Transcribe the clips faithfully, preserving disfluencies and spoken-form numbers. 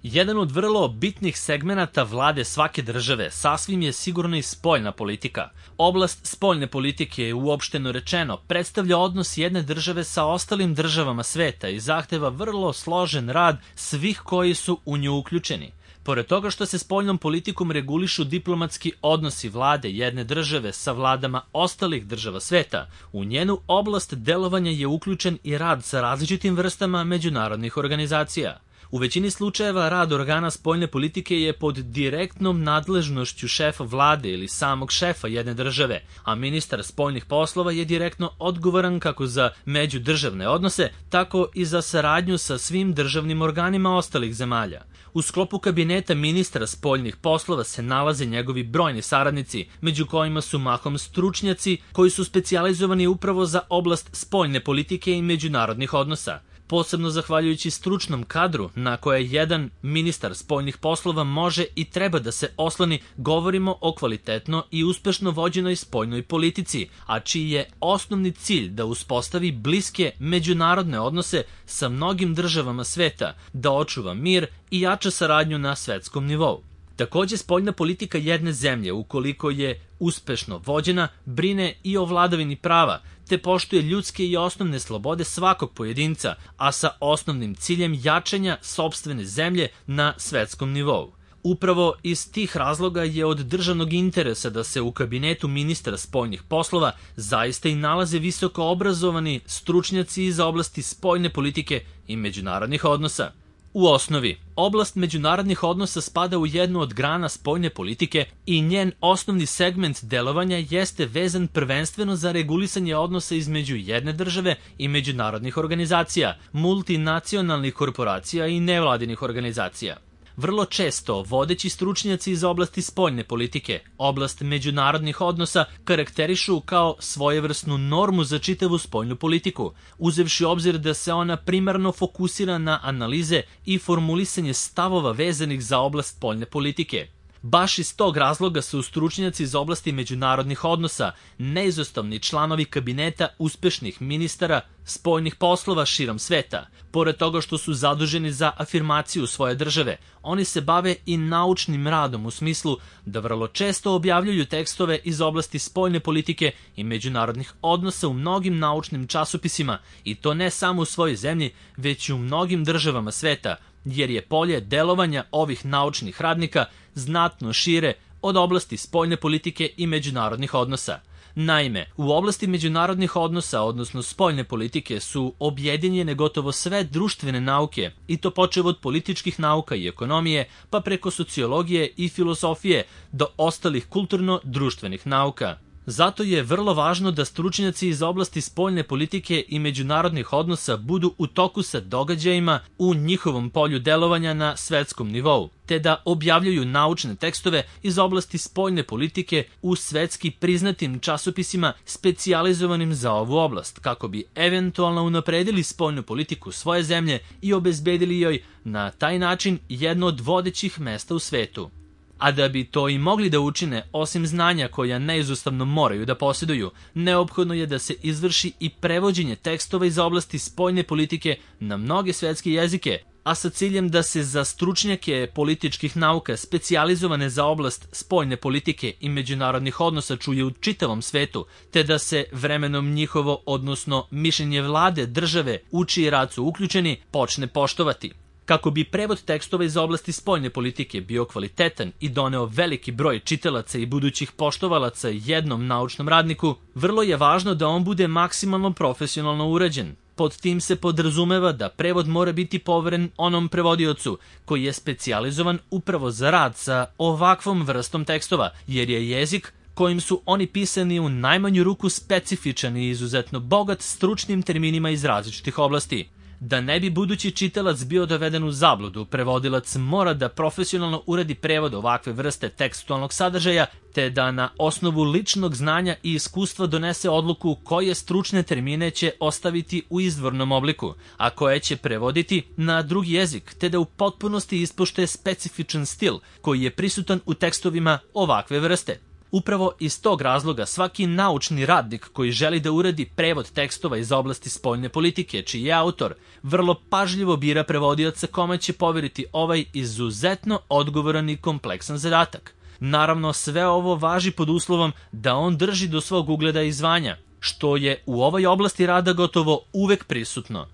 Jedan od vrlo bitnih segmenata vlade svake države sasvim je sigurno i spoljna politika. Oblast spoljne politike je uopšteno rečeno predstavlja odnos jedne države sa ostalim državama sveta i zahteva vrlo složen rad svih koji su u nju uključeni. Pored toga što se spoljnom politikom regulišu diplomatski odnosi vlade jedne države sa vladama ostalih država sveta, u njenu oblast delovanja je uključen i rad sa različitim vrstama međunarodnih organizacija. U većini slučajeva rad organa spoljne politike je pod direktnom nadležnošću šefa vlade ili samog šefa jedne države, a ministar spoljnih poslova je direktno odgovoran kako za međudržavne odnose, tako i za saradnju sa svim državnim organima ostalih zemalja. U sklopu kabineta ministra spoljnih poslova se nalaze njegovi brojni saradnici, među kojima su mahom stručnjaci koji su specijalizovani upravo za oblast spoljne politike i međunarodnih odnosa. Posebno zahvaljujući stručnom kadru na koje jedan ministar spoljnih poslova može i treba da se osloni, govorimo o kvalitetno i uspešno vođenoj spoljnoj politici, a čiji je osnovni cilj da uspostavi bliske međunarodne odnose sa mnogim državama sveta, da očuva mir i jača saradnju na svetskom nivou. Takođe, spoljna politika jedne zemlje, ukoliko je uspešno vođena, brine i o vladavini prava, te poštuje ljudske i osnovne slobode svakog pojedinca, a sa osnovnim ciljem jačanja sopstvene zemlje na svetskom nivou. Upravo iz tih razloga je od državnog interesa da se u kabinetu ministra spoljnih poslova zaista i nalaze visoko obrazovani stručnjaci iz oblasti spoljne politike i međunarodnih odnosa. U osnovi, oblast međunarodnih odnosa spada u jednu od grana spoljne politike i njen osnovni segment delovanja jeste vezan prvenstveno za regulisanje odnosa između jedne države i međunarodnih organizacija, multinacionalnih korporacija i nevladinih organizacija. Vrlo često vodeći stručnjaci iz oblasti spoljne politike, oblast međunarodnih odnosa karakterišu kao svojevrsnu normu za čitavu spoljnu politiku, uzevši obzir da se ona primarno fokusira na analize i formulisanje stavova vezanih za oblast spoljne politike. Baš iz tog razloga su stručnjaci iz oblasti međunarodnih odnosa neizostavni članovi kabineta uspešnih ministara spoljnih poslova širom sveta. Pored toga što su zaduženi za afirmaciju svoje države, oni se bave i naučnim radom u smislu da vrlo često objavljuju tekstove iz oblasti spoljne politike i međunarodnih odnosa u mnogim naučnim časopisima, i to ne samo u svojoj zemlji, već i u mnogim državama sveta, jer je polje delovanja ovih naučnih radnika znatno šire od oblasti spoljne politike i međunarodnih odnosa. Naime, u oblasti međunarodnih odnosa, odnosno spoljne politike, su objedinjene gotovo sve društvene nauke, i to počev od političkih nauka i ekonomije, pa preko sociologije i filozofije do ostalih kulturno-društvenih nauka. Zato je vrlo važno da stručnjaci iz oblasti spoljne politike i međunarodnih odnosa budu u toku sa događajima u njihovom polju delovanja na svetskom nivou, te da objavljuju naučne tekstove iz oblasti spoljne politike u svetski priznatim časopisima specijalizovanim za ovu oblast, kako bi eventualno unapredili spoljnu politiku svoje zemlje i obezbedili joj na taj način jedno od vodećih mesta u svetu. A da bi to i mogli da učine, osim znanja koja neizostavno moraju da posjeduju, neophodno je da se izvrši i prevođenje tekstova iz oblasti spoljne politike na mnoge svetske jezike, a sa ciljem da se za stručnjake političkih nauka specijalizovane za oblast spoljne politike i međunarodnih odnosa čuje u čitavom svetu, te da se vremenom njihovo, odnosno mišljenje vlade, države, u čiji rad su uključeni, počne poštovati. Kako bi prevod tekstova iz oblasti spoljne politike bio kvalitetan i doneo veliki broj čitalaca i budućih poštovalaca jednom naučnom radniku, vrlo je važno da on bude maksimalno profesionalno urađen. Pod tim se podrazumeva da prevod mora biti poveren onom prevodiocu koji je specijalizovan upravo za rad sa ovakvom vrstom tekstova, jer je jezik kojim su oni pisani u najmanju ruku specifičan i izuzetno bogat stručnim terminima iz različitih oblasti. Da ne bi budući čitalac bio doveden u zabludu, prevodilac mora da profesionalno uradi prevod ovakve vrste tekstualnog sadržaja, te da na osnovu ličnog znanja i iskustva donese odluku koje stručne termine će ostaviti u izvornom obliku, a koje će prevoditi na drugi jezik, te da u potpunosti ispoštuje specifičan stil koji je prisutan u tekstovima ovakve vrste. Upravo iz tog razloga svaki naučni radnik koji želi da uradi prevod tekstova iz oblasti spoljne politike, čiji je autor, vrlo pažljivo bira prevodioca kome će poveriti ovaj izuzetno odgovoran i kompleksan zadatak. Naravno, sve ovo važi pod uslovom da on drži do svog ugleda i zvanja, što je u ovoj oblasti rada gotovo uvek prisutno.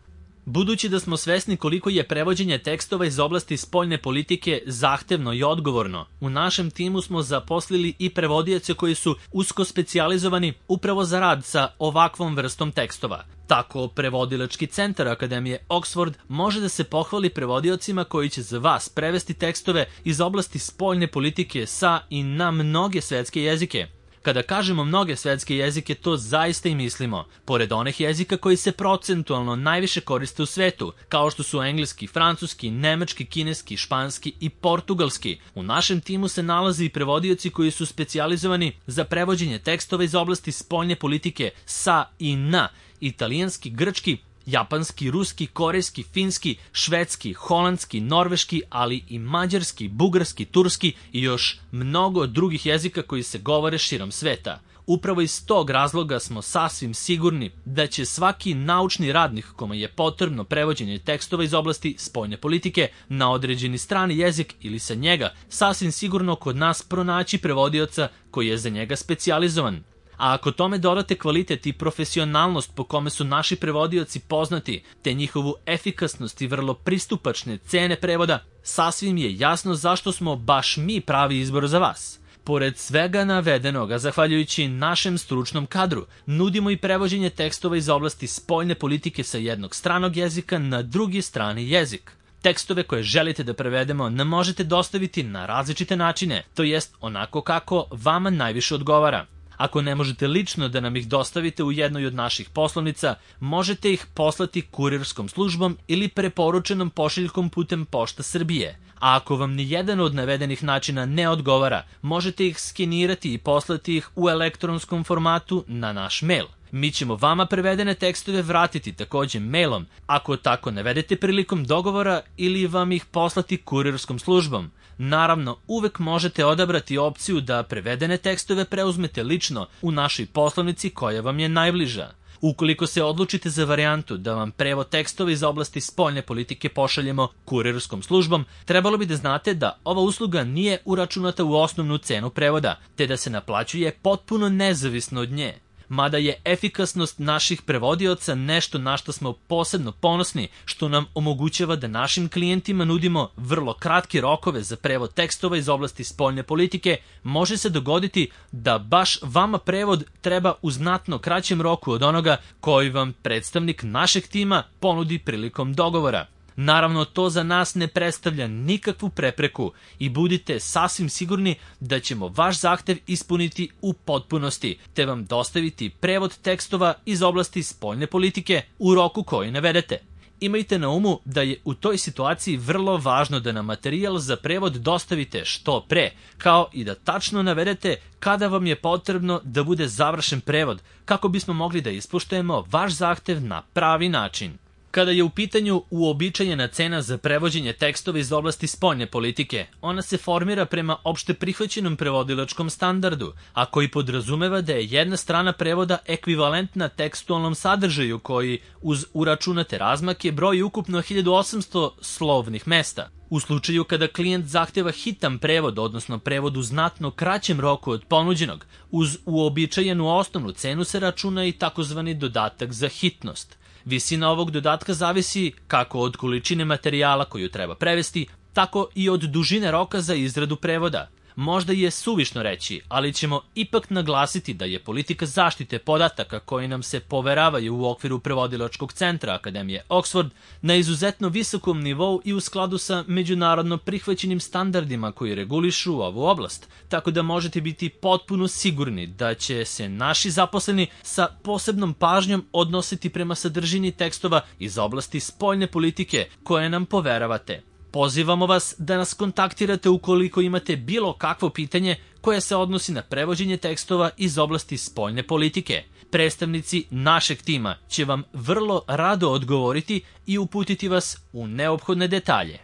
Budući da smo svesni koliko je prevođenje tekstova iz oblasti spoljne politike zahtevno i odgovorno, u našem timu smo zaposlili i prevodioce koji su usko specijalizovani upravo za rad sa ovakvom vrstom tekstova. Tako, prevodilački centar Akademije Oxford može da se pohvali prevodiocima koji će za vas prevesti tekstove iz oblasti spoljne politike sa i na mnoge svetske jezike. Kada kažemo mnoge svetske jezike, to zaista i mislimo, pored onih jezika koji se procentualno najviše koriste u svetu, kao što su engleski, francuski, nemački, kineski, španski i portugalski. U našem timu se nalaze i prevodioci koji su specijalizovani za prevođenje tekstova iz oblasti spoljne politike sa i na italijanski, grčki, japanski, ruski, korejski, finski, švedski, holandski, norveški, ali i mađarski, bugarski, turski i još mnogo drugih jezika koji se govore širom sveta. Upravo iz tog razloga smo sasvim sigurni da će svaki naučni radnik kome je potrebno prevođenje tekstova iz oblasti spoljne politike na određeni strani jezik ili sa njega sasvim sigurno kod nas pronaći prevodioca koji je za njega specijalizovan. A ako tome dodate kvalitet i profesionalnost po kome su naši prevodioci poznati, te njihovu efikasnost i vrlo pristupačne cene prevoda, sasvim je jasno zašto smo baš mi pravi izbor za vas. Pored svega navedenoga, zahvaljujući našem stručnom kadru, nudimo i prevođenje tekstova iz oblasti spoljne politike sa jednog stranog jezika na drugi strani jezik. Tekstove koje želite da prevedemo nam možete dostaviti na različite načine, to jest onako kako vama najviše odgovara. Ako ne možete lično da nam ih dostavite u jednoj od naših poslovnica, možete ih poslati kurirskom službom ili preporučenom pošiljkom putem Pošta Srbije. A ako vam ni jedan od navedenih načina ne odgovara, možete ih skenirati i poslati ih u elektronskom formatu na naš mail. Mi ćemo vama prevedene tekstove vratiti takođe mailom, ako tako navedete prilikom dogovora, ili vam ih poslati kurirskom službom. Naravno, uvek možete odabrati opciju da prevedene tekstove preuzmete lično u našoj poslovnici koja vam je najbliža. Ukoliko se odlučite za varijantu da vam prevod tekstova iz oblasti spoljne politike pošaljemo kurirskom službom, trebalo bi da znate da ova usluga nije uračunata u osnovnu cenu prevoda, te da se naplaćuje potpuno nezavisno od nje. Mada je efikasnost naših prevodioca nešto na što smo posebno ponosni, što nam omogućava da našim klijentima nudimo vrlo kratke rokove za prevod tekstova iz oblasti spoljne politike, može se dogoditi da baš vama prevod treba u znatno kraćem roku od onoga koji vam predstavnik našeg tima ponudi prilikom dogovora. Naravno, to za nas ne predstavlja nikakvu prepreku i budite sasvim sigurni da ćemo vaš zahtev ispuniti u potpunosti, te vam dostaviti prevod tekstova iz oblasti spoljne politike u roku koji navedete. Imajte na umu da je u toj situaciji vrlo važno da nam materijal za prevod dostavite što pre, kao i da tačno navedete kada vam je potrebno da bude završen prevod, kako bismo mogli da ispoštujemo vaš zahtev na pravi način. Kada je u pitanju uobičajena cena za prevođenje tekstova iz oblasti spoljne politike, ona se formira prema opšte prihvaćenom prevodilačkom standardu, a koji podrazumeva da je jedna strana prevoda ekvivalentna tekstualnom sadržaju koji, uz uračunate razmake, broji ukupno hiljadu osamsto slovnih mesta. U slučaju kada klijent zahteva hitan prevod, odnosno prevod u znatno kraćem roku od ponuđenog, uz uobičajenu osnovnu cenu se računa i takozvani dodatak za hitnost. Visina ovog dodatka zavisi kako od količine materijala koju treba prevesti, tako i od dužine roka za izradu prevoda. Možda je suvišno reći, ali ćemo ipak naglasiti da je politika zaštite podataka koji nam se poveravaju u okviru prevodilačkog centra Akademije Oxford na izuzetno visokom nivou i u skladu sa međunarodno prihvaćenim standardima koji regulišu ovu oblast, tako da možete biti potpuno sigurni da će se naši zaposleni sa posebnom pažnjom odnositi prema sadržini tekstova iz oblasti spoljne politike koje nam poveravate. Pozivamo vas da nas kontaktirate ukoliko imate bilo kakvo pitanje koje se odnosi na prevođenje tekstova iz oblasti spoljne politike. Predstavnici našeg tima će vam vrlo rado odgovoriti i uputiti vas u neophodne detalje.